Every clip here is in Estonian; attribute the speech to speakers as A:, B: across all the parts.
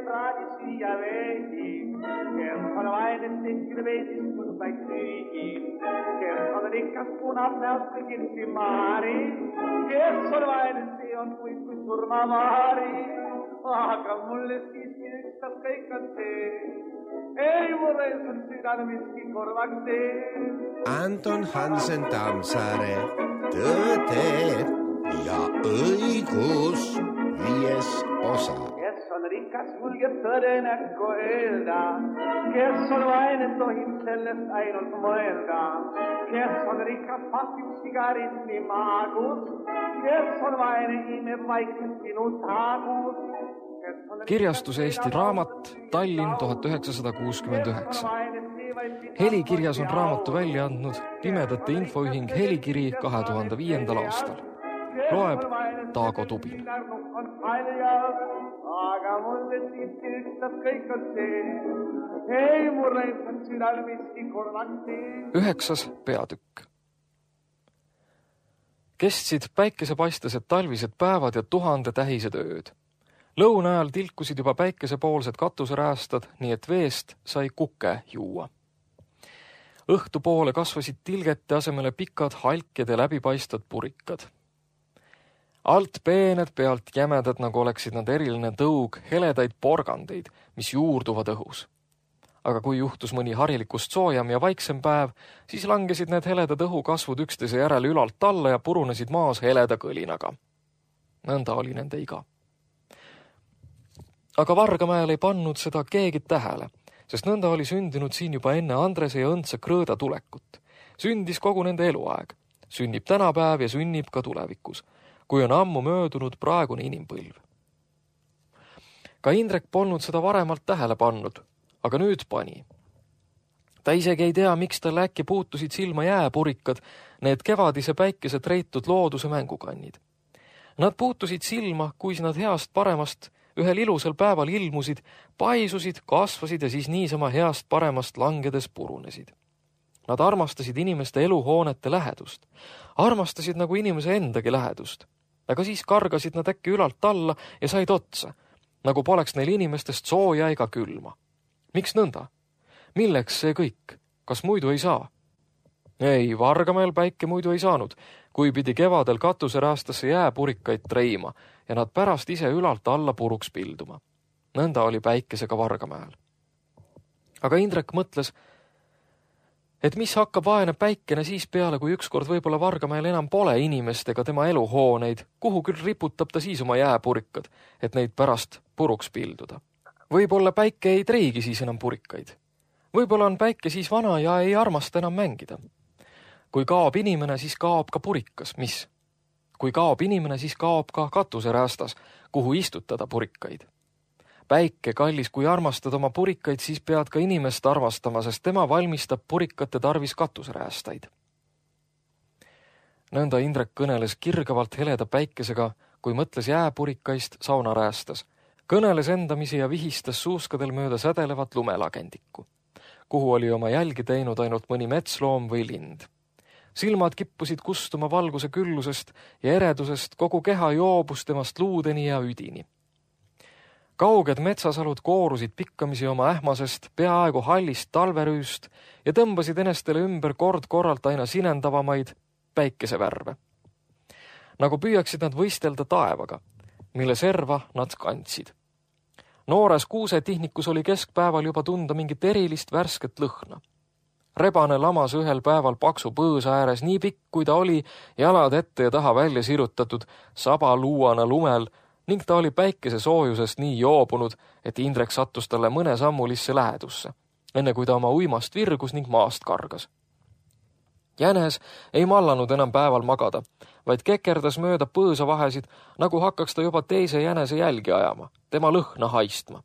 A: tragici aveti, che sono vaine stessi vesi sul paesini, che sono ricca spuna per che si mari, che sono vaine sion qui surmavari, che mulle si sta che cante, e vorrei sentirmi si corvacte.
B: Anton Hansen Tammsaare, tõde ja õigus 5. osa.
A: Kes on rikas, julgeb tõdenäkku öelda, kes on vaene, tohib sellest ainult mõelda. Kes on rikas, pasib sigaretti maagus, kes on vaene, imeb vaikselt sinu taagus.
C: Kirjastus Eesti Raamat, Tallinn 1969. Helikirjas on raamatu välja andnud Pimedate Infoühing Helikiri 2005. aastal. Loeb Taago Tubin.
A: Aga mulle siiski ükstab kõik on see, ei mulle on südal miski korvakti.
C: 9. peatükk. Kestsid päikesepaistased talvised päevad ja 1000 tähised ööd. Lõuna ajal tilkusid juba päikesepoolsed katuseräästad, nii et veest sai kuke juua. Õhtupoole kasvasid tilgete asemele pikad halkjad ja läbipaistvad purikad. Alt peened, pealt jämedad, nagu oleksid nad eriline tõug, heledaid porgandeid, mis juurduvad õhus. Aga kui juhtus mõni harilikust soojam ja vaiksem päev, siis langesid need heledad õhukasvud üksteise järele ülalt alla ja purunesid maas heleda kõlinaga. Nõnda oli nende iga. Aga Vargamäel ei pannud seda keegi tähele, sest nõnda oli sündinud siin juba enne Andrese ja Õndse Krõõda tulekut. Sündis kogu nende eluaeg. Sünnib tänapäev ja sünnib ka tulevikus, kui on ammu möödunud praegune inimpõlv. Ka Indrek polnud seda varemalt tähele pannud, aga nüüd pani. Ta isegi ei tea, miks tal äkki puutusid silma jääpurikad, need kevadise päikese treitud looduse mängukannid. Nad puutusid silma, kui nad heast paremast ühel ilusal päeval ilmusid, paisusid, kasvasid ja siis niisama heast paremast langedes purunesid. Nad armastasid inimeste eluhoonete lähedust. Armastasid nagu inimese endagi lähedust. Aga siis kargasid nad äkki ülalt alla ja said otsa, nagu poleks neil inimestest sooja ega külma. Miks nõnda? Milleks see kõik? Kas muidu ei saa? Ei, Vargamäel päike muidu ei saanud, kui pidi kevadel katuseräästasse jääpurikaid treima ja nad pärast ise ülalt alla puruks pilduma. Nõnda oli päikesega Vargamäel. Aga Indrek mõtles, et mis hakkab vaene päikene siis peale, kui ükskord võib-olla Vargamäel enam pole inimest ega tema eluhooneid, kuhu küll riputab ta siis oma jääpurikad, et neid pärast puruks pilduda. Võib-olla päike ei treigi siis enam purikaid. Võib-olla on päike siis vana ja ei armasta enam mängida. Kui kaob inimene, siis kaob ka purikas. Mis? Kui kaob inimene, siis kaob ka katuseräästas, kuhu istutada purikaid. Päike, kallis, kui armastad oma purikaid, siis pead ka inimest armastama, sest tema valmistab purikate tarvis katuseräästaid. Nõnda Indrek kõneles kirgavalt heleda päikesega, kui mõtles jääpurikaist saunaräästas. Kõneles endamisi ja vihistas suuskadel mööda sädelevat lumelagendikku, kuhu oli oma jälgi teinud ainult mõni metsloom või lind. Silmad kippusid kustuma valguse küllusest ja eredusest, kogu keha joobus temast luudeni ja üdini. Kauged metsasalud koorusid pikkamisi oma ähmasest, peaaegu hallist talverüüst ja tõmbasid enestele ümber kord-korralt aina sinendavamaid päikesevärve. Nagu püüaksid nad võistelda taevaga, mille serva nad kandsid. Noores kuusetihnikus oli keskpäeval juba tunda mingit erilist värsket lõhna. Rebane lamas ühel päeval paksu põõsa ääres nii pikk, kui ta oli, jalad ette ja taha välja sirutatud sabaluuana lumel ning ta oli päikese soojusest nii joobunud, et Indrek sattus talle mõne sammulisse lähedusse, enne kui ta oma uimast virgus ning maast kargas. Jänes ei mallanud enam päeval magada, vaid kekerdas mööda põõsa vahesid, nagu hakkaks ta juba teise jänese jälgi ajama, tema lõhna haistma.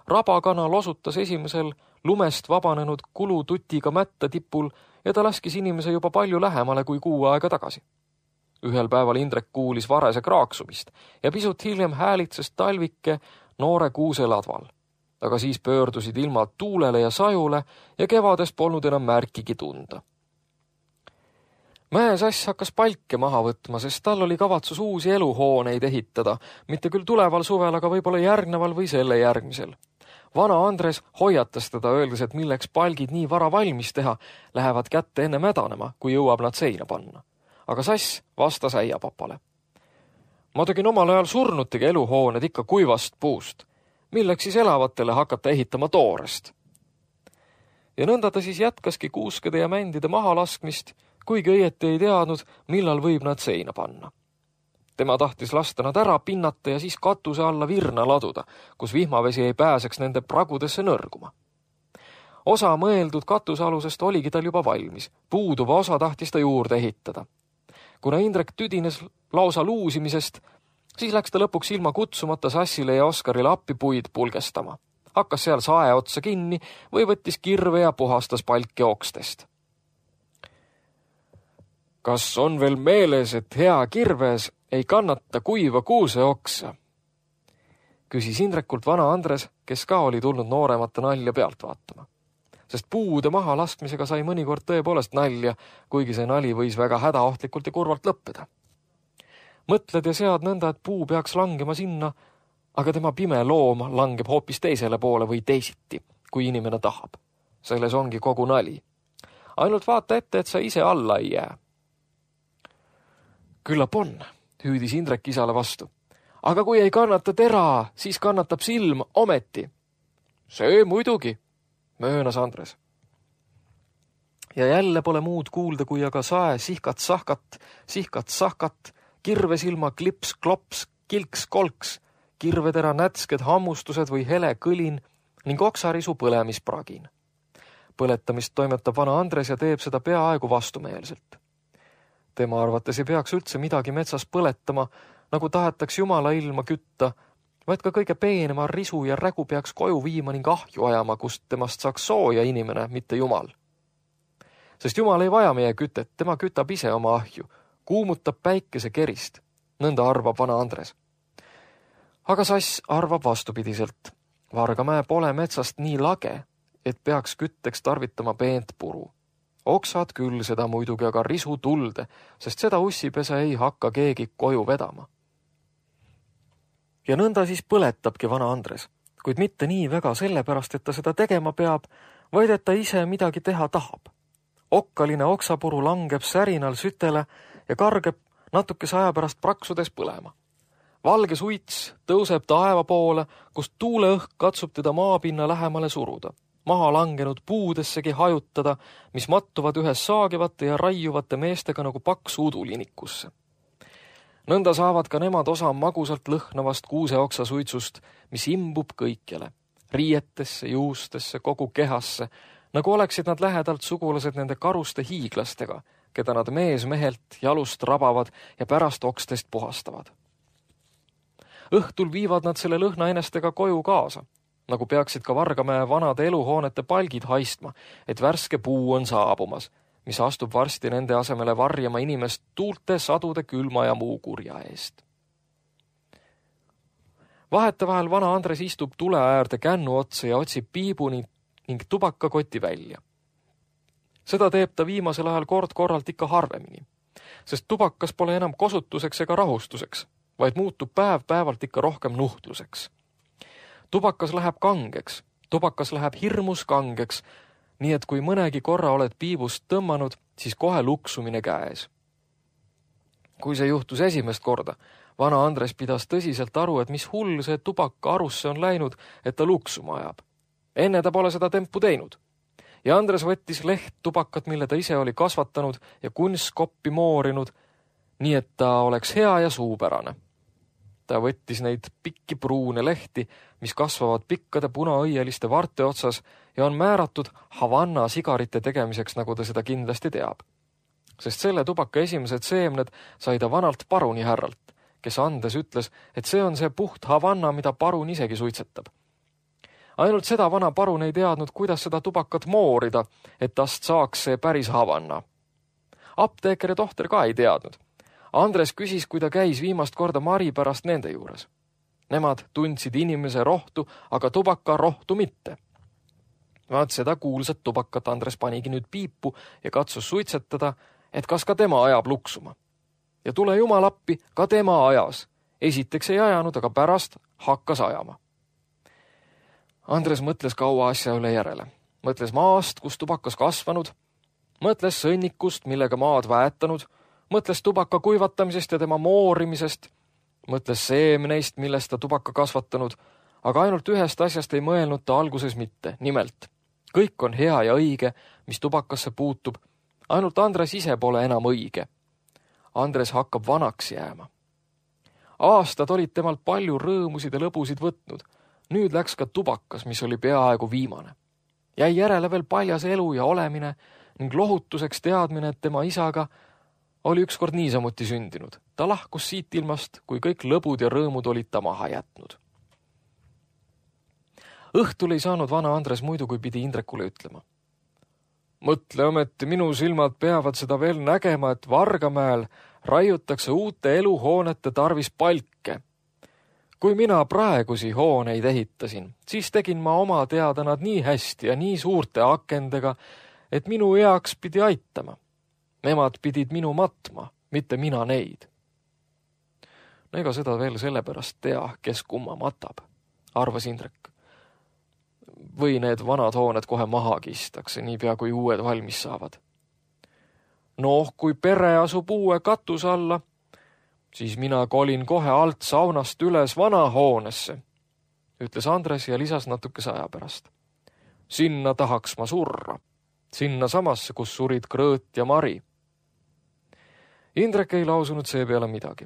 C: Rabakana losutas esimesel lumest vabanenud kulututiga mätta tipul ja ta laskis inimese juba palju lähemale kui kuu aega tagasi. Ühel päeval Indrek kuulis varese kraaksumist ja pisut hiljem häälitses talvike noore kuuse ladval. Aga siis pöördusid ilmad tuulele ja sajule ja kevades polnud enam märkigi tunda. Mäesass hakkas palke maha võtma, sest tal oli kavatsus uusi eluhooneid ehitada, mitte küll tuleval suvel, aga võib-olla järgneval või selle järgmisel. Vana Andres hoiatas teda, öeldes, et milleks palgid nii vara valmis teha, lähevad kätte enne mädanema, kui jõuab nad seina panna. Aga sass vastas äiapapale. Ma tegin omal ajal surnutega eluhooned ikka kuivast puust. Milleks siis elavatele hakata ehitama toorest? Ja nõnda ta siis jätkaski kuuskede ja mändide maha laskmist, kuigi õieti ei teadnud, millal võib nad seina panna. Tema tahtis lasta nad ära pinnata ja siis katuse alla virna laduda, kus vihmavesi ei pääseks nende pragudesse nõrguma. Osa mõeldud katusealusest oligi tal juba valmis, puuduva osa tahtis ta juurde ehitada. Kuna Indrek tüdines lausa luusimisest, siis läks ta lõpuks ilma kutsumata Sassile ja Oskarile appi puid pulgestama. Hakkas seal sae otsa kinni või võttis kirve ja puhastas palki okstest. Kas on veel meeles, et hea kirves ei kannata kuiva kuuse oksa? Küsis Indrekult vana Andres, kes ka oli tulnud nooremate nalja pealt vaatama. Sest puude maha laskmisega sai mõnikord tõepoolest nalja, kuigi see nali võis väga hädaohtlikult ja kurvalt lõppeda. Mõtled ja sead nõnda, et puu peaks langema sinna, aga tema pime loom langeb hoopis teisele poole või teisiti, kui inimene tahab. Selles ongi kogu nali. Ainult vaata ette, et sa ise alla ei jää. Küllap on, hüüdis Indrek isale vastu. Aga kui ei kannata tera, siis kannatab silm ometi. See muidugi, möönas Andres. Ja jälle pole muud kuulda, kui aga sae sihkat-sahkat, kirvesilma klips-klops, kilks-kolks, kirvetera nätsked hammustused või hele kõlin ning oksarisu põlemispragin. Põletamist toimetab vana Andres ja teeb seda peaaegu vastumeelselt. Tema arvates ei peaks üldse midagi metsas põletama, nagu tahetaks Jumala ilma kütta, vaid ka kõige peenema risu ja rägu peaks koju viima ning ahju ajama, kust temast saaks sooja inimene, mitte Jumal. Sest Jumal ei vaja meie kütet, tema kütab ise oma ahju, kuumutab päikese kerist, nõnda arvab vana Andres. Aga sass arvab vastupidiselt. Vargamäe pole metsast nii lage, et peaks kütteks tarvitama peent puru. Oksad küll seda muidugi, aga risu tulde, sest seda ussipese ei hakka keegi koju vedama. Ja nõnda siis põletabki vana Andres, kuid mitte nii väga sellepärast, et ta seda tegema peab, vaid et ta ise midagi teha tahab. Okkaline oksapuru langeb särinal sütele ja kargeb natukese aja pärast praksudes põlema. Valge suits tõuseb taeva poole, kust tuuleõhk katsub teda maapinna lähemale suruda. Maha langenud puudessegi hajutada, mis mattuvad ühes saagivate ja raiuvate meestega nagu paks udulinikusse. Nõnda saavad ka nemad osa magusalt lõhnavast kuuseoksa suitsust, mis imbub kõikjale, riietesse, juustesse, kogu kehasse, nagu oleksid nad lähedalt sugulased nende karuste hiiglastega, keda nad mees-mehelt jalust rabavad ja pärast okstest puhastavad. Õhtul viivad nad selle lõhna enestega koju kaasa, nagu peaksid ka Vargamäe vanade eluhoonete palgid haistma, et värske puu on saabumas, mis astub varsti nende asemele varjama inimest tuulte, sadude, külma ja muu kurja eest. Vahetevahel vana Andres istub tule äärde kännu otsa ja otsib piibu ning tubakakoti välja. Seda teeb ta viimasel ajal kord-korralt ikka harvemini, sest tubakas pole enam kosutuseks ega rahustuseks, vaid muutub päev-päevalt ikka rohkem nuhtluseks. Tubakas läheb kangeks, tubakas läheb hirmus kangeks, nii et kui mõnegi korra oled piibust tõmmanud, siis kohe luksumine käes. Kui see juhtus esimest korda, vana Andres pidas tõsiselt aru, et mis hull see tubaka arusse on läinud, et ta luksuma ajab. Enne ta pole seda tempu teinud. Ja Andres võttis leht tubakat, mille ta ise oli kasvatanud ja kunskoppi moorinud, nii et ta oleks hea ja suupärane. Ta võttis neid pikki pruune lehti, mis kasvavad pikkade punaõieliste varte otsas ja on määratud Havanna sigarite tegemiseks, nagu ta seda kindlasti teab. Sest selle tubaka esimesed seemned sai ta vanalt paruni härralt, kes andes ütles, et see on see puht Havanna, mida parun isegi suitsetab. Ainult seda vana parun ei teadnud, kuidas seda tubakat moorida, et tast saaks see päris Havanna. Apteeker ja tohter ka ei teadnud. Andres küsis, kui ta käis viimast korda Mari pärast nende juures. Nemad tundsid inimese rohtu, aga tubaka rohtu mitte. Vaat seda kuulsat tubakat Andres panigi nüüd piipu ja katsus suitsetada, et kas ka tema ajab luksuma. Ja tule jumal appi, ka tema ajas. Esiteks ei ajanud, aga pärast hakkas ajama. Andres mõtles kaua asja üle järele. Mõtles maast, kus tubakas kasvanud, mõtles sõnnikust, millega maad väetanud, mõtles tubaka kuivatamisest ja tema moorimisest, mõtles seemneist, millest ta tubaka kasvatanud, aga ainult ühest asjast ei mõelnud ta alguses mitte. Nimelt, kõik on hea ja õige, mis tubakasse puutub, ainult Andres ise pole enam õige. Andres hakkab vanaks jääma. Aastad olid temalt palju rõõmusid ja lõbusid võtnud. Nüüd läks ka tubakas, mis oli peaaegu viimane. Jäi järele veel paljas elu ja olemine ning lohutuseks teadmine, et tema isaga oli ükskord niisamuti sündinud. Ta lahkus siit ilmast, kui kõik lõbud ja rõõmud olid ta maha jätnud. Õhtul ei saanud vana Andres muidu, kui pidi Indrekule ütlema. Mõtle ometi, minu silmad peavad seda veel nägema, et Vargamäel raiutakse uute eluhoonete tarvis palke. Kui mina praegusi hooneid ehitasin, siis tegin ma oma teada nad nii hästi ja nii suurte akendega, et minu eaks pidi aitama. Nemad pidid minu matma, mitte mina neid. No ega seda veel sellepärast tea, kes kumma matab, arvas Indrek. Või need vanad hooned kohe maha kistakse, niipea kui uued valmis saavad. Noh, kui pere asub uue katus alla, siis mina kolin kohe alt saunast üles vana hoonesse, ütles Andres ja lisas natukese aja pärast. Sinna tahaks ma surra, sinna samasse, kus surid Krõõt ja Mari. Indrek ei lausunud see peale midagi.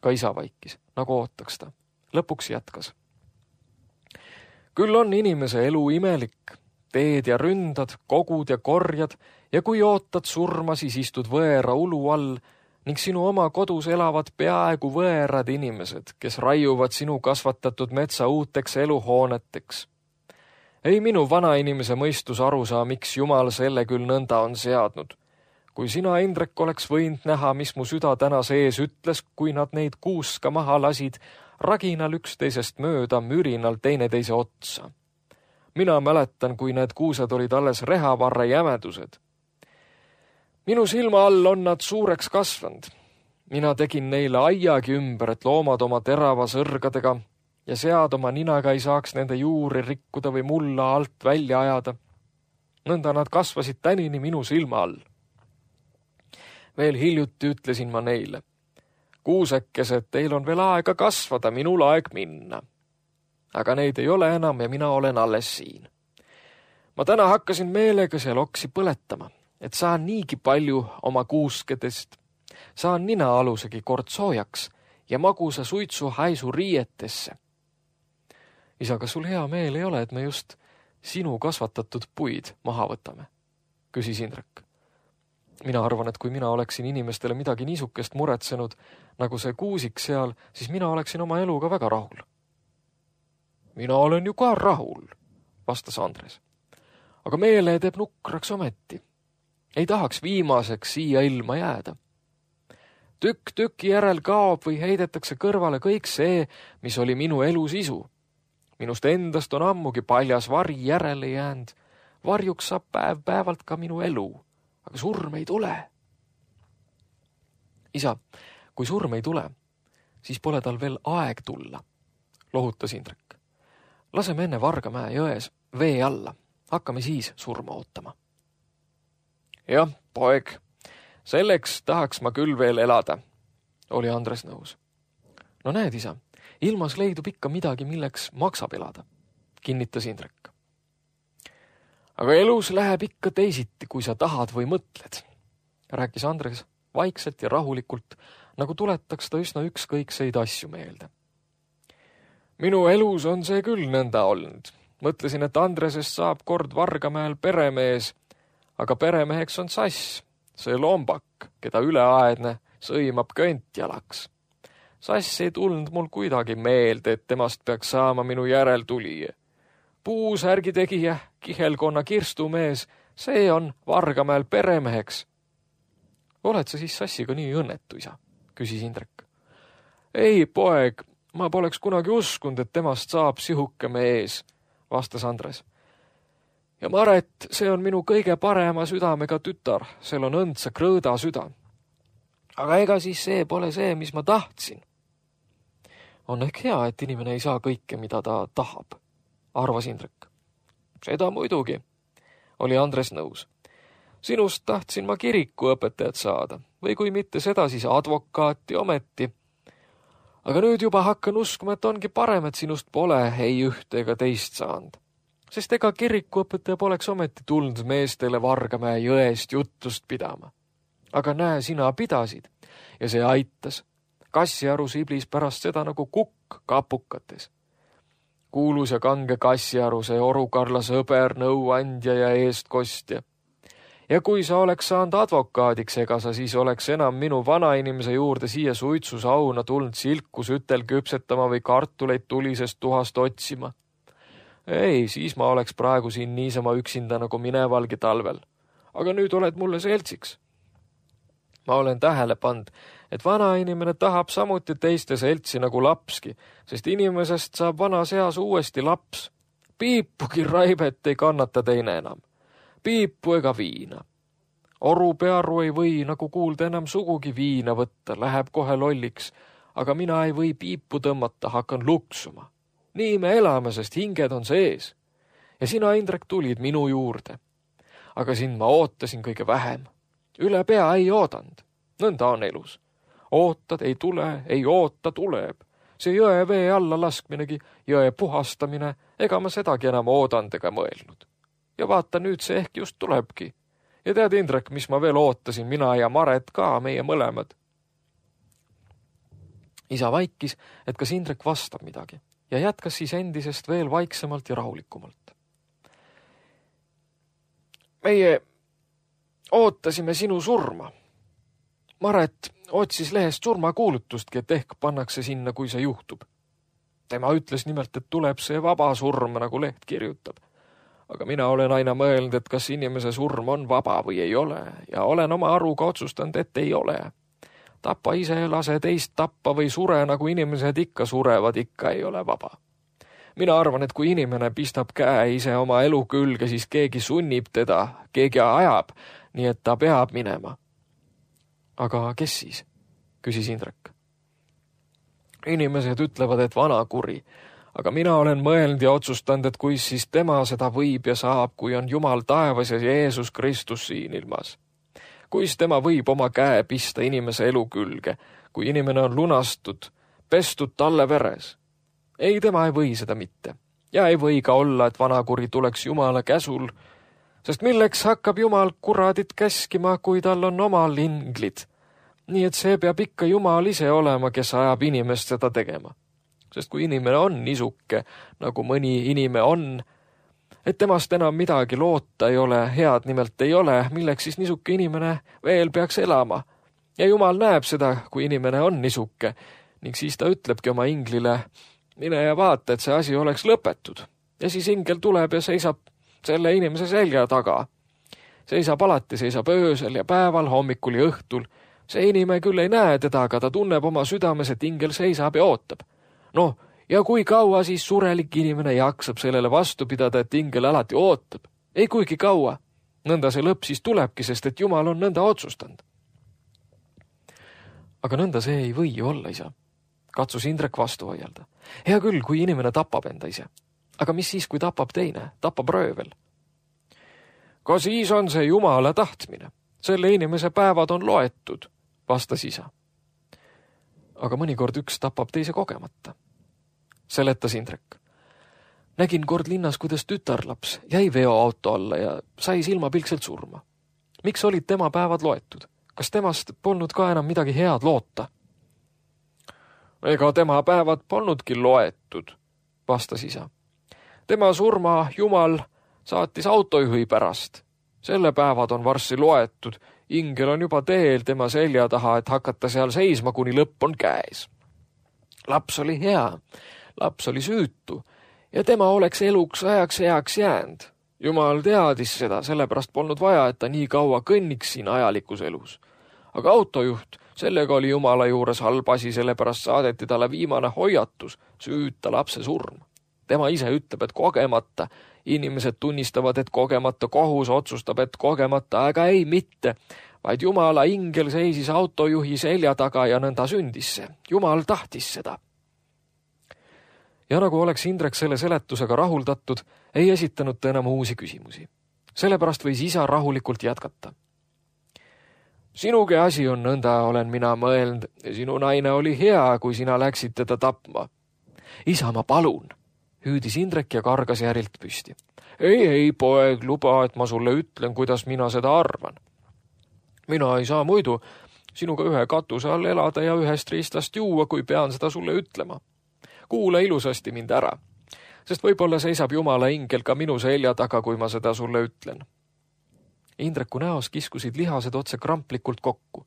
C: Ka isa vaikis, nagu ootaks ta. Lõpuks jätkas. Küll on inimese elu imelik, teed ja ründad, kogud ja korjad ja kui ootad surma, siis istud võõra ulu all ning sinu oma kodus elavad peaaegu võõrad inimesed, kes raiuvad sinu kasvatatud metsa uuteks eluhooneteks. Ei minu vana inimese mõistus aru saa, miks Jumal selle küll nõnda on seadnud. Kui sina, Indrek, oleks võinud näha, mis mu süda täna sees ütles, kui nad neid kuuska maha lasid, raginal üksteisest mööda, mürinal teineteise otsa. Mina mäletan, kui need kuused olid alles rehavarre jämedused. Minu silma all on nad suureks kasvanud. Mina tegin neile aiagi ümber, et loomad oma terava sõrgadega ja sead oma ninaga ei saaks nende juuri rikkuda või mulla alt välja ajada. Nõnda nad kasvasid tänini minu silma all. Veel hiljuti ütlesin ma neile. Kuusekesed, teil on veel aega kasvada, minul aeg minna. Aga neid ei ole enam ja mina olen alles siin. Ma täna hakkasin meelega seal oksi põletama, et saan niigi palju oma kuuskedest. Saan ninaalusegi kord soojaks ja magusa suitsu haisu riietesse. Isa, kas sul hea meel ei ole, et me just sinu kasvatatud puid maha võtame? Küsis Indrek. Mina arvan, et kui mina oleksin inimestele midagi niisukest muretsenud, nagu see kuusik seal, siis mina oleksin oma eluga väga rahul. Mina olen ju ka rahul, vastas Andres. Aga meele teeb nukraks ometi. Ei tahaks viimaseks siia ilma jääda. Tükk tüki järel kaob või heidetakse kõrvale kõik see, mis oli minu elu sisu. Minust endast on ammugi paljas vari järele jäänud. Varjuks saab päev-päevalt ka minu elu. Aga surm ei tule. Isa, kui surm ei tule, siis pole tal veel aeg tulla, lohutas Indrek. Laseme enne Vargamäe jões vee alla. Hakkame siis surma ootama. Jah, poeg, selleks tahaks ma küll veel elada, oli Andres nõus. No näed, isa, ilmas leidub ikka midagi, milleks maksab elada, kinnitas Indrek. Aga elus läheb ikka teisiti, kui sa tahad või mõtled, rääkis Andres vaikselt ja rahulikult, nagu tuletaks ta üsna ükskõikseid asju meelde. Minu elus on see küll nõnda olnud. Mõtlesin, et Andresest saab kord Vargamäel peremees, aga peremeheks on Sass, see lombak, keda üleaedne sõimab köntjalaks. Sass ei tulnud mul kuidagi meelde, et temast peaks saama minu järeltulija. Puusärgi tegija, kihelkonna kirstumees, see on Vargamäel peremeheks. Oled sa siis Sassiga nii õnnetu, isa? Küsis Indrek. Ei, poeg, ma poleks kunagi uskunud, et temast saab sihuke mees, vastas Andres. Ja Maret, see on minu kõige parema südamega tütar, sel on õndsa krõõda süda. Aga ega siis see pole see, mis ma tahtsin. On ehk hea, et inimene ei saa kõike, mida ta tahab, arvas Indrek. Seda muidugi, oli Andres nõus. Sinust tahtsin ma kirikuõpetajat saada või kui mitte seda, siis advokaati ometi. Aga nüüd juba hakkan uskuma, et ongi parem, et sinust pole ei ühte ega teist saanud. Sest ega kirikuõpetaja poleks ometi tulnud meestele Vargamäe jõest juttust pidama. Aga näe, sina pidasid ja see aitas. Kassiaru siblis pärast seda nagu kukk kapukates. Kuulus ja kange Kassiaru, see Oru-Karla sõber, nõuandja ja eestkostja. Ja kui sa oleks saanud advokaadiks, ega sa siis oleks enam minu vanainimese juurde siia suitsusauna tulnud silku sütel küpsetama või kartuleid tulisest tuhast otsima. Ei, siis ma oleks praegu siin niisama üksinda nagu minevalgi talvel. Aga nüüd oled mulle seltsiks. Ma olen tähele pand, et vanainimene tahab samuti teiste seltsi nagu lapski, sest inimesest saab vanas eas uuesti laps. Piipugi raibet ei kannata teine enam. Piipu ega viina. Oru Pearu ei või, nagu kuulda, enam sugugi viina võtta, läheb kohe lolliks, aga mina ei või piipu tõmmata, hakkan luksuma. Nii me elame, sest hinged on sees. Ja sina, Indrek, tulid minu juurde. Aga sind ma ootasin kõige vähem. Üle pea ei oodanud. Nõnda on elus. Ootad, ei tule, ei oota, tuleb. See jõe vee alla laskminegi, jõe puhastamine, ega ma sedagi enam oodanud ega mõelnud. Ja vaata, nüüd see ehk just tulebki. Ja tead, Indrek, mis ma veel ootasin, mina ja Maret ka, meie mõlemad. Isa vaikis, et kas Indrek vastab midagi ja jätkas siis endisest veel vaiksemalt ja rahulikumalt. Meie ootasime sinu surma. Maret otsis lehest surmakuulutustki, et ehk pannakse sinna, kui see juhtub. Tema ütles nimelt, et tuleb see vaba surm, nagu leht kirjutab. Aga mina olen aina mõelnud, et kas inimese surm on vaba või ei ole ja olen oma aruga otsustanud, et ei ole. Tapa ise, lase teist tappa või sure, nagu inimesed ikka surevad, ikka ei ole vaba. Mina arvan, et kui inimene pistab käe ise oma elu külge, siis keegi sunnib teda, keegi ajab, nii et ta peab minema. Aga kes siis? Küsis Indrek. Inimesed ütlevad, et vana kuri. Aga mina olen mõelnud ja otsustanud, et kui siis tema seda võib ja saab, kui on Jumal taevas ja Jeesus Kristus siin ilmas. Kuis tema võib oma käe pista inimese elu külge, kui inimene on lunastud, pestud talle veres. Ei, tema ei või seda mitte. Ja ei või ka olla, et vanakuri tuleks Jumala käsul, sest milleks hakkab Jumal kuradit käskima, kui tal on omal inglid. Nii et see peab ikka Jumal ise olema, kes ajab inimest seda tegema. Sest kui inimene on nisuke, nagu mõni inime on, et temast enam midagi loota ei ole, head nimelt ei ole, milleks siis nisuke inimene veel peaks elama. Ja Jumal näeb seda, kui inimene on nisuke, ning siis ta ütlebki oma inglile, mine ja vaata, et see asi oleks lõpetud. Ja siis ingel tuleb ja seisab selle inimese selja taga. Seisab alati, seisab öösel ja päeval, hommikul ja õhtul. See inimene küll ei näe teda, aga ta tunneb oma südames, et ingel seisab ja ootab. No, ja kui kaua siis surelik inimene jaksab sellele vastu pidada, et ingel alati ootab? Ei kuigi kaua. Nõnda see lõpp siis tulebki, sest et Jumal on nõnda otsustanud. Aga nõnda see ei või ju olla, isa. Katsus Indrek vastu hoialda. Hea küll, kui inimene tapab enda ise. Aga mis siis, kui tapab teine? Tapab röövel. Ka siis on see Jumala tahtmine. Selle inimese päevad on loetud, vastas isa. Aga mõnikord üks tapab teise kogemata. Seletas Indrek. Nägin kord linnas, kuidas tütarlaps jäi veoauto alla ja sai silmapilkselt surma. Miks olid tema päevad loetud? Kas temast polnud ka enam midagi head loota? Ega tema päevad polnudki loetud, vastas isa. Tema surma Jumal saatis autojuhi pärast. Selle päevad on varsti loetud. Ingel on juba teel tema selja taha, et hakata seal seisma, kuni lõpp on käes. Laps oli hea. Laps oli süütu ja tema oleks eluks ajaks heaks jäänud. Jumal teadis seda, sellepärast polnud vaja, et ta nii kaua kõnniks siin ajalikus elus. Aga autojuht, sellega oli Jumala juures halb asi, sellepärast saadeti talle viimane hoiatus, süüta lapse surm. Tema ise ütleb, et kogemata. Inimesed tunnistavad, et kogemata, kohus otsustab, et kogemata, aga ei mitte, vaid Jumala ingel seisis autojuhi selja taga ja nõnda sündis see. Jumal tahtis seda. Ja nagu oleks Indrek selle seletusega rahuldatud, ei esitanud ta enam uusi küsimusi. Sellepärast võis isa rahulikult jätkata. Sinugi asi on nõnda, olen mina mõelnud. Sinu naine oli hea, kui sina läksid teda tapma. Isa, ma palun, hüüdis Indrek ja kargas järilt püsti. Ei, poeg, luba, et ma sulle ütlen, kuidas mina seda arvan. Mina ei saa muidu sinuga ühe katuse all elada ja ühest riistast juua, kui pean seda sulle ütlema. Kuula ilusasti mind ära, sest võib-olla seisab Jumala ingel ka minu selja taga, kui ma seda sulle ütlen. Indreku näos kiskusid lihased otse kramplikult kokku.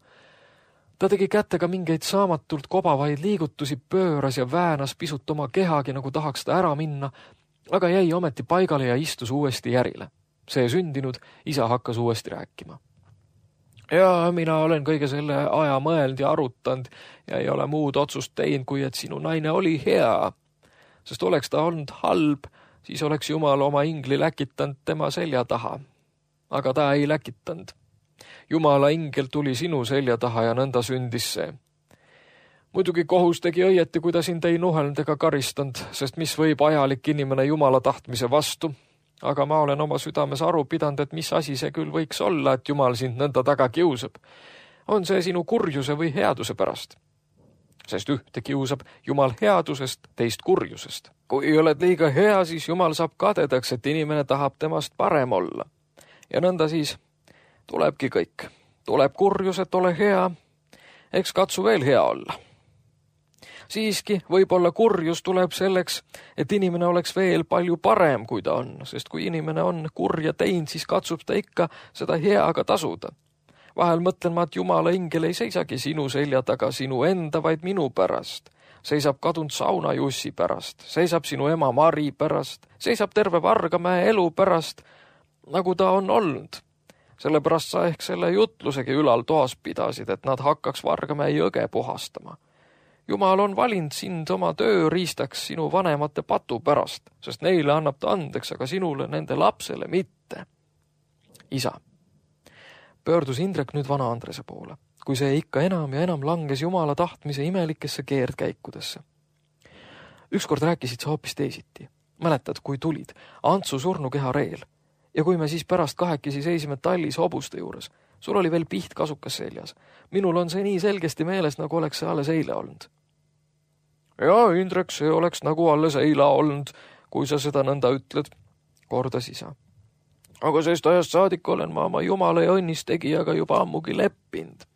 C: Ta tegi kätega mingeid saamatult kobavaid liigutusi, pööras ja väänas pisut oma kehagi, nagu tahaks ta ära minna, aga jäi ometi paigale ja istus uuesti järile. See sündinud, isa hakkas uuesti rääkima. Ja mina olen kõige selle aja mõeld ja arutanud ja ei ole muud otsust teinud, kui et sinu naine oli hea. Sest oleks ta olnud halb, siis oleks Jumal oma ingli läkitanud tema selja taha. Aga ta ei läkitanud. Jumala ingel tuli sinu selja taha ja nõnda sündis see. Muidugi kohus tegi õieti, kui ta sind ei nuhelnud ega karistanud, sest mis võib ajalik inimene Jumala tahtmise vastu. Aga ma olen oma südames aru pidanud, et mis asi see küll võiks olla, et Jumal sind nõnda taga kiusab. On see sinu kurjuse või headuse pärast? Sest ühte kiusab Jumal headusest, teist kurjusest. Kui oled liiga hea, siis Jumal saab kadedaks, et inimene tahab temast parem olla. Ja nõnda siis tulebki kõik. Tuleb kurjus, et ole hea. Eks katsu veel hea olla. Siiski võib-olla kurjus tuleb selleks, et inimene oleks veel palju parem, kui ta on, sest kui inimene on kurja teinud, siis katsub ta ikka seda heaga tasuda. Vahel mõtlen ma, et Jumala ingel ei seisagi sinu selja taga sinu enda, vaid minu pärast. Seisab kadunud saunajussi pärast, seisab sinu ema Mari pärast, seisab terve Vargamäe elu pärast, nagu ta on olnud. Sellepärast sa ehk selle jutlusegi ülal toas pidasid, et nad hakkaks Vargamäe jõge puhastama. Jumal on valinud sind oma tööriistaks sinu vanemate patu pärast, sest neile annab ta andeks, aga sinule, nende lapsele mitte. Isa. Pöördus Indrek nüüd vana Andrese poole, kui see ikka enam ja enam langes Jumala tahtmise imelikesse keerdkäikudesse. Ükskord rääkisid sa hoopis teisiti. Mäletad, kui tulid Antsu surnukeha reel ja kui me siis pärast kahekesi seisime tallis hobuste juures. Sul oli veel piht kasukas seljas. Minul on see nii selgesti meeles, nagu oleks see alles eile olnud. Ja, Indrek, see oleks nagu alles eile olnud, kui sa seda nõnda ütled, kordas isa. Aga sest ajast saadik olen ma oma Jumala ja õnnistegijaga juba ammugi leppinud.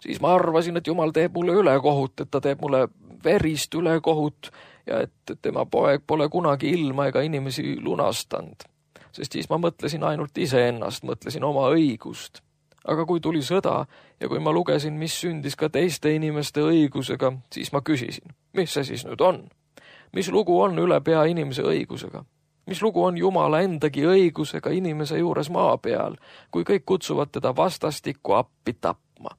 C: Siis ma arvasin, et Jumal teeb mulle ülekohut, et ta teeb mulle verist ülekohut ja et tema poeg pole kunagi ilma ega inimesi lunastanud. Sest siis ma mõtlesin ainult iseennast, mõtlesin oma õigust. Aga kui tuli sõda ja kui ma lugesin, mis sündis ka teiste inimeste õigusega, siis ma küsisin, mis see siis nüüd on? Mis lugu on üle pea inimese õigusega? Mis lugu on Jumala endagi õigusega inimese juures maa peal, kui kõik kutsuvad teda vastastikku appi tapma?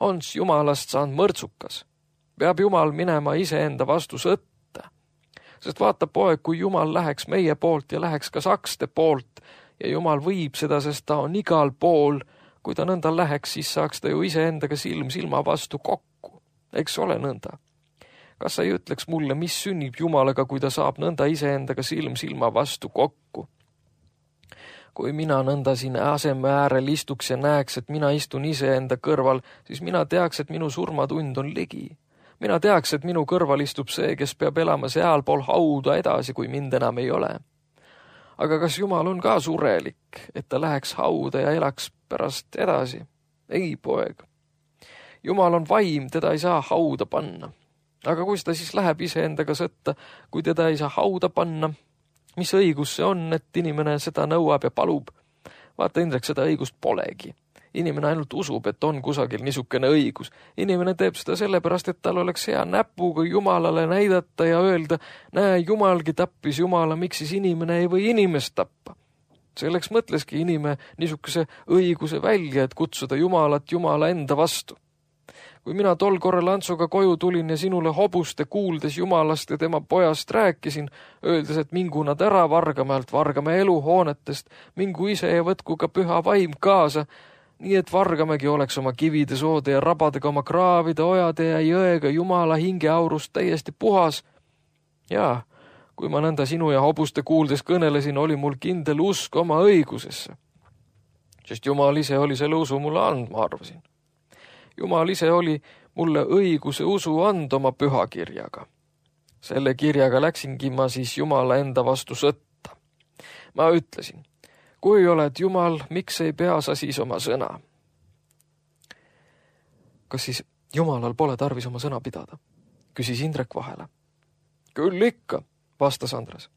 C: On Jumalast saanud mõrtsukas? Peab Jumal minema iseenda vastu sõtta? Sest vaata poeg, kui Jumal läheks meie poolt ja läheks ka sakste poolt ja Jumal võib seda, sest ta on igal pool. Kui ta nõnda läheks, siis saaks ta ju iseendaga silm silma vastu kokku. Eks ole nõnda. Kas sa ei ütleks mulle, mis sünnib Jumalaga, kui ta saab nõnda iseendaga silm silma vastu kokku? Kui mina nõnda siin aseme äärel istuks ja näeks, et mina istun iseenda kõrval, siis mina teaks, et minu surmatund on ligi. Mina teaks, et minu kõrval istub see, kes peab elama sealpool hauda edasi, kui mind enam ei ole. Aga kas Jumal on ka surelik, et ta läheks hauda ja elaks pärast edasi? Ei, poeg. Jumal on vaim, teda ei saa hauda panna. Aga kui ta siis läheb iseendaga sõtta, kui teda ei saa hauda panna, mis õigus see on, et inimene seda nõuab ja palub? Vaata, Indrek, seda õigust polegi. Inimene ainult usub, et on kusagil niisugune õigus. Inimene teeb seda sellepärast, et tal oleks hea näpuga Jumalale näidata ja öelda, näe, Jumalgi tappis Jumala, miks siis inimene ei või inimest tappa. Selleks mõtleski inimene niisuguse õiguse välja, et kutsuda Jumalat Jumala enda vastu. Kui mina tol korral Antsuga koju tulin ja sinule hobuste kuuldes Jumalast ja tema pojast rääkisin, öeldes, et mingu nad ära Vargamäelt, Vargamäe eluhoonetest, mingu ise ja võtku ka püha vaim kaasa, nii et Vargamägi oleks oma kivide, soode ja rabadega, oma kraavide, ojade ja jõega Jumala hingeaurust täiesti puhas. Jaa, kui ma nõnda sinu ja hobuste kuuldes kõnelesin, oli mul kindel usk oma õigusesse. Sest Jumal ise oli selle usu mulle andma, arvasin. Jumal ise oli mulle õiguse usu and oma pühakirjaga. Selle kirjaga läksingi ma siis Jumala enda vastu sõtta. Ma ütlesin, kui oled Jumal, miks ei pea sa siis oma sõna? Kas siis Jumalal pole tarvis oma sõna pidada? Küsis Indrek vahele. Küll ikka, vastas Andres.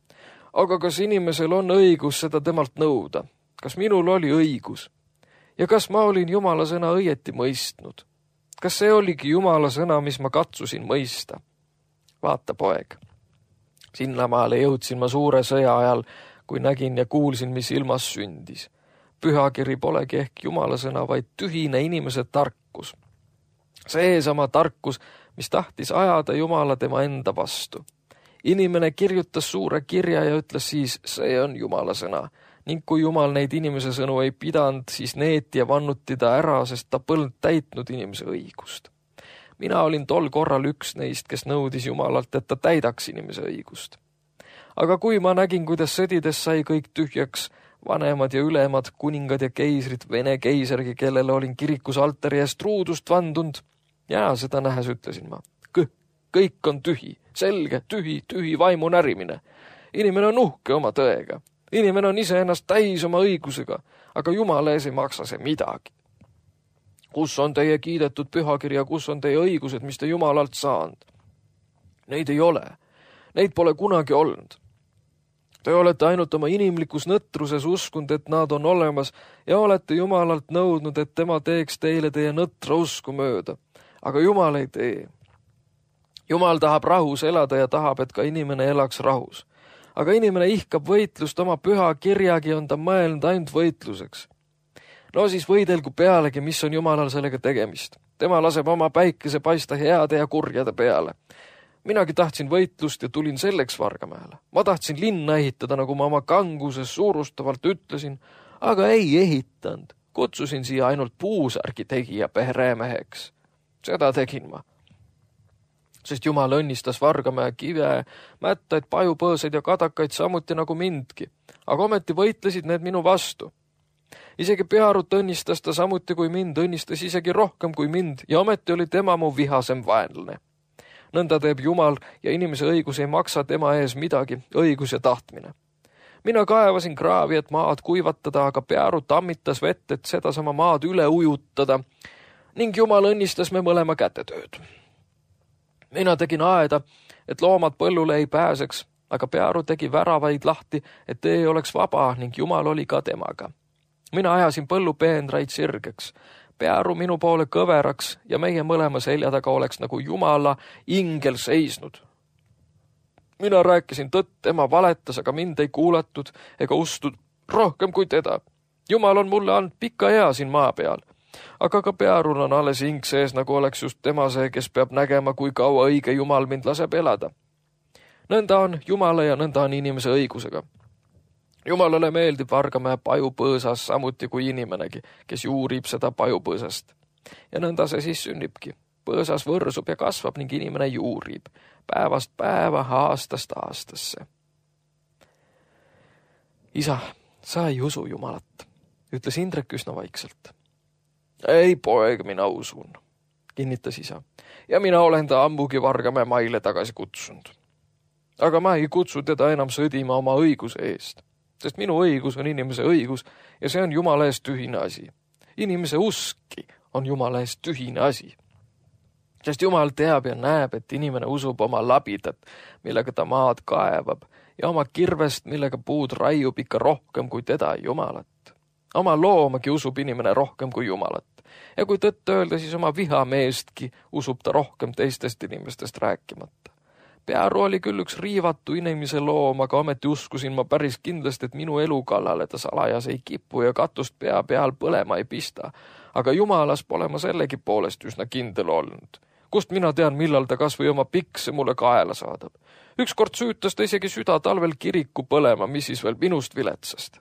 C: Aga kas inimesel on õigus seda temalt nõuda? Kas minul oli õigus? Ja kas ma olin Jumala sõna õieti mõistnud? Kas see oligi Jumala sõna, mis ma katsusin mõista? Vaata, poeg. Sinnamaale jõudsin ma suure sõja ajal, kui nägin ja kuulsin, mis ilmas sündis. Pühakiri polegi ehk Jumala sõna, vaid tühine inimese tarkus. Seesama tarkus, mis tahtis ajada Jumala tema enda vastu. Inimene kirjutas suure kirja ja ütles siis, see on Jumala sõna. Ning kui Jumal neid inimese sõnu ei pidanud, siis neeti ja vannuti ta ära, sest ta polnud täitnud inimese õigust. Mina olin tol korral üks neist, kes nõudis Jumalalt, et ta täidaks inimese õigust. Aga kui ma nägin, kuidas sõdides sai kõik tühjaks, vanemad ja ülemad, kuningad ja keisrid, Vene keisargi, kellele olin kirikus altari eest ruudust vandunud, ja seda nähes ütlesin ma, kõik on tühi, selge, tühi vaimu närimine. Inimene on uhke oma tõega. Inimene on ise ennast täis oma õigusega, aga Jumala ees ei maksa see midagi. Kus on teie kiidetud pühakirja, kus on teie õigused, mis te Jumalalt saanud? Neid ei ole. Neid pole kunagi olnud. Te olete ainult oma inimlikus nõtruses uskunud, et nad on olemas ja olete Jumalalt nõudnud, et tema teeks teile teie nõtra usku mööda. Aga Jumal ei tee. Jumal tahab rahus elada ja tahab, et ka inimene elaks rahus. Aga inimene ihkab võitlust, oma püha kirjagi on ta mõelnud ainult võitluseks. No siis võidelgu pealegi, mis on Jumalal sellega tegemist. Tema laseb oma päikese paista heade ja kurjade peale. Minagi tahtsin võitlust ja tulin selleks Vargamäele. Ma tahtsin linna ehitada, nagu ma oma kanguses suurustavalt ütlesin, aga ei ehitanud. Kutsusin siia ainult puusärgi tegija peremeheks. Seda tegin ma. Sest Jumal õnnistas Vargamäe kive, mättaid, pajupõõsaid ja kadakaid samuti nagu mindki, aga ometi võitlesid need minu vastu. Isegi Pearut õnnistas ta samuti kui mind, õnnistas isegi rohkem kui mind ja ometi oli tema mu vihasem vaenlane. Nõnda teeb Jumal ja inimese õigus ei maksa tema ees midagi, õigus ja tahtmine. Mina kaevasin kraavi, et maad kuivatada, aga Pearu tammitas vett, et sedasama maad üle ujutada ning Jumal õnnistas me mõlema kätetööd. Mina tegin aeda, et loomad põllule ei pääseks, aga Pearu tegi väravaid lahti, et tee oleks vaba ning Jumal oli ka temaga. Mina ajasin põllu peenraid sirgeks, Pearu minu poole kõveraks ja meie mõlema selja taga oleks nagu Jumala ingel seisnud. Mina rääkisin tõtt, tema valetas, aga mind ei kuulatud ega ustud rohkem kui teda. Jumal on mulle andnud pika ea siin maa peal. Aga ka Pearul on alles hing sees, nagu oleks just tema see, kes peab nägema, kui kaua õige Jumal mind laseb elada. Nõnda on Jumala ja nõnda on inimese õigusega. Jumalale meeldib Vargamäe pajupõõsas samuti kui inimenegi, kes juurib seda pajupõõsast. Ja nõnda see siis sünnibki. Põõsas võrsub ja kasvab ning inimene juurib. Päevast päeva, aastast aastasse. Isa, sa ei usu Jumalat, ütles Indrek üsna vaikselt. Ei, poeg, mina usun, kinnitas isa. Ja mina olen ta ammugi Vargamäe maile tagasi kutsunud. Aga ma ei kutsu teda enam sõdima oma õiguse eest, sest minu õigus on inimese õigus ja see on Jumala eest tühine asi. Inimese uski on Jumala eest tühine asi. Sest Jumal teab ja näeb, et inimene usub oma labidat, millega ta maad kaevab ja oma kirvest, millega puud raiub ikka rohkem kui teda Jumalat. Oma loomagi usub inimene rohkem kui Jumalat. Ja kui tõtt öelda, siis oma vihameestki usub ta rohkem teistest inimestest rääkimata. Pearu oli küll üks riivatu inimese loom, aga ometi uskusin ma päris kindlasti, et minu elu kallale ta salajas ei kipu ja katust pea peal põlema ei pista. aga jumalas pole ma sellegi poolest üsna kindel olnud. Kust mina tean, millal ta kas või oma pikse mulle kaela saadab. Ükskord süütas ta isegi süda talvel kiriku põlema, mis siis veel minust viletsast.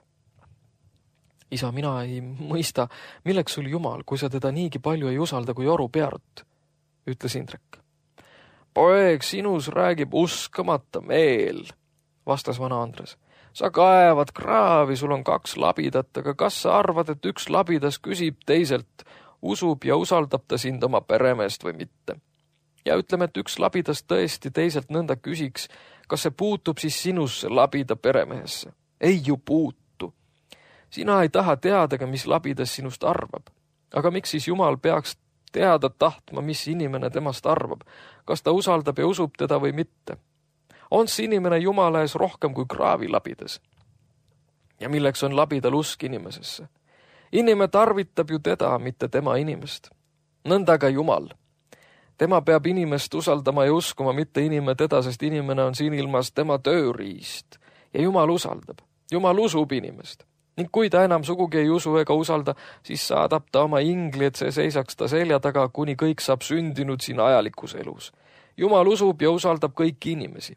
C: Isa, mina ei mõista, milleks sul Jumal, kui sa teda niigi palju ei usalda kui Oru Pearut, ütles Indrek. Poeg, sinus räägib uskamata meel, vastas vana Andres. Sa kaevad kraavi, sul on 2 labidat, aga kas sa arvad, et üks labidas küsib teiselt, usub ja usaldab ta sind oma peremeest või mitte? Ja ütleme, et üks labidas tõesti teiselt nõnda küsiks, kas see puutub siis sinusse labida peremehesse? Ei ju puutu. Sina ei taha teadagi, mis labidas sinust arvab. Aga miks siis Jumal peaks teada tahtma, mis inimene temast arvab? Kas ta usaldab ja usub teda või mitte? On see inimene Jumala ees rohkem kui kraavi labidas? Ja milleks on labidal usk inimesesse? Inimene tarvitab ju teda, mitte tema inimest. Nõnda ka Jumal. Tema peab inimest usaldama ja uskuma, mitte inimene teda, sest inimene on siin ilmas tema tööriist. Ja Jumal usaldab. Jumal usub inimest. Ning kui ta enam sugugi ei usu ega usalda, siis saadab ta oma ingli, et see seisaks ta selja taga, kuni kõik saab sündinud siin ajalikus elus. Jumal usub ja usaldab kõiki inimesi.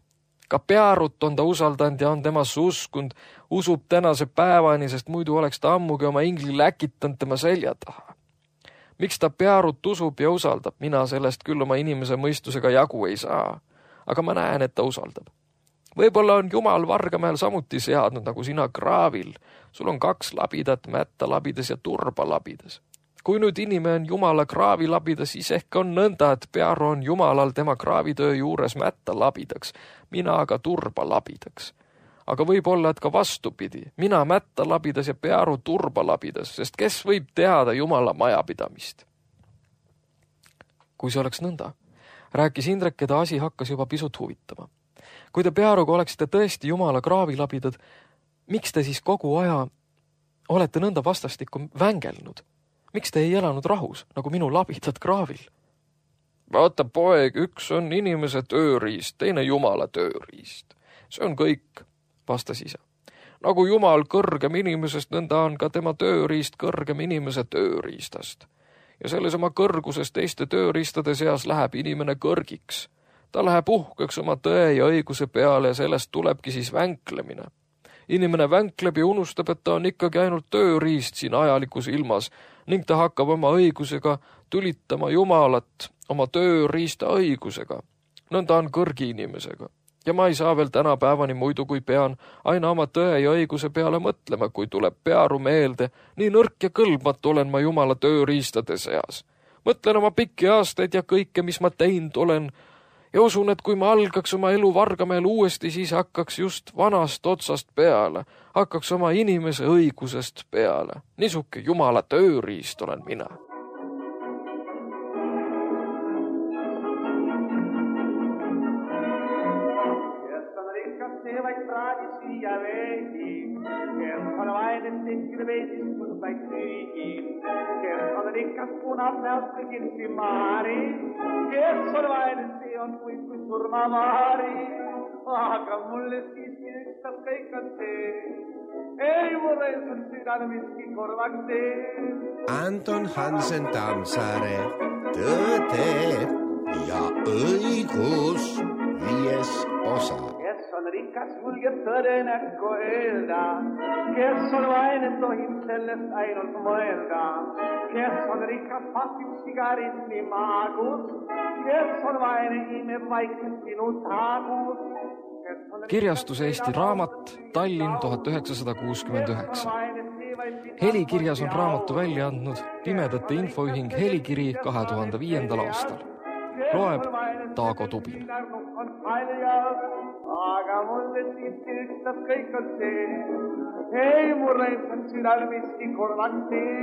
C: Ka Pearut on ta usaldanud ja on temasse uskund, usub tänase päevani, sest muidu oleks ta ammugi oma ingli läkitanud tema selja taha. Miks ta Pearut usub ja usaldab? Mina sellest küll oma inimese mõistusega jagu ei saa, aga ma näen, et ta usaldab. Võib-olla on Jumal Vargamäel samuti seadnud, nagu sina kraavil. Sul on 2 labidat, mätta labidas ja turba labidas. Kui nüüd inimene on Jumala kraavi labidas, siis ehk on nõnda, et Pearu on Jumalal tema kraavitöö juures mätta labidaks, mina aga turba labidaks. Aga võib olla, et ka vastupidi, mina mätta labidas ja Pearu turba labidas, sest kes võib teada Jumala majapidamist? Kui see oleks nõnda, rääkis Indrek, keda asi hakkas juba pisut huvitama. Kui te Pearuga oleksite tõesti Jumala kraavi labidad, miks te siis kogu aja olete nõnda vastastikku vängelnud? Miks te ei elanud rahus, nagu minu labidad kraavil? Vaata, poeg, üks on inimese tööriist, teine Jumala tööriist. See on kõik, vastas isa. Nagu Jumal kõrgem inimesest, nõnda on ka tema tööriist kõrgem inimese tööriistast. Ja selles oma kõrguses teiste tööriistade seas läheb inimene kõrgiks. Ta läheb uhkeks oma tõe ja õiguse peale ja sellest tulebki siis vänklemine. Inimene vänkleb ja unustab, et ta on ikkagi ainult tööriist siin ajalikus ilmas ning ta hakkab oma õigusega tülitama Jumalat oma tööriista õigusega. Nõnda on kõrgi inimesega. Ja ma ei saa veel tänapäevani muidu, kui pean aina oma tõe ja õiguse peale mõtlema, kui tuleb Pearu meelde, nii nõrk ja kõlbmatu olen ma Jumala tööriistade seas. Mõtlen oma pikki aastaid ja kõike, mis ma teinud olen, ja usun, et kui ma algaks oma elu Vargamäel uuesti, siis hakkaks just vanast otsast peale, hakkaks oma inimese õigusest peale. Niisuke Jumala tööriist olen mina.
A: Kes on rikas, see vaid praadi süüa veidi. Kes on vainen, tehkida veidis, kun vaid süügi. Kes on rikas, punab näost kõigilsi maari. Kes on vainen, see on kui surmavaari. Aga mulle siiski ükstas kõik on see. Ei mulle on südane miski korvaks see.
B: Anton Hansen Tammsaare, Tõde ja õigus 5. osa.
A: Kes on rikas, julgeb tõde näkku öelda. Kes on vaine, tohib sellest ainult mõelda. Kes on rikas, pasib sigaritni maagus. Kes on vaine, imeb vaikselt sinu taagus.
C: Kirjastus Eesti Raamat, Tallinn 1969. Helikirjas on raamatu välja andnud Pimedate Infoühing Helikiri 2005. aastal. Loeb Taago Tubin.
A: Aga mulle siiski ükstas kõik on see. Ei mulle on südal miski korvaks see.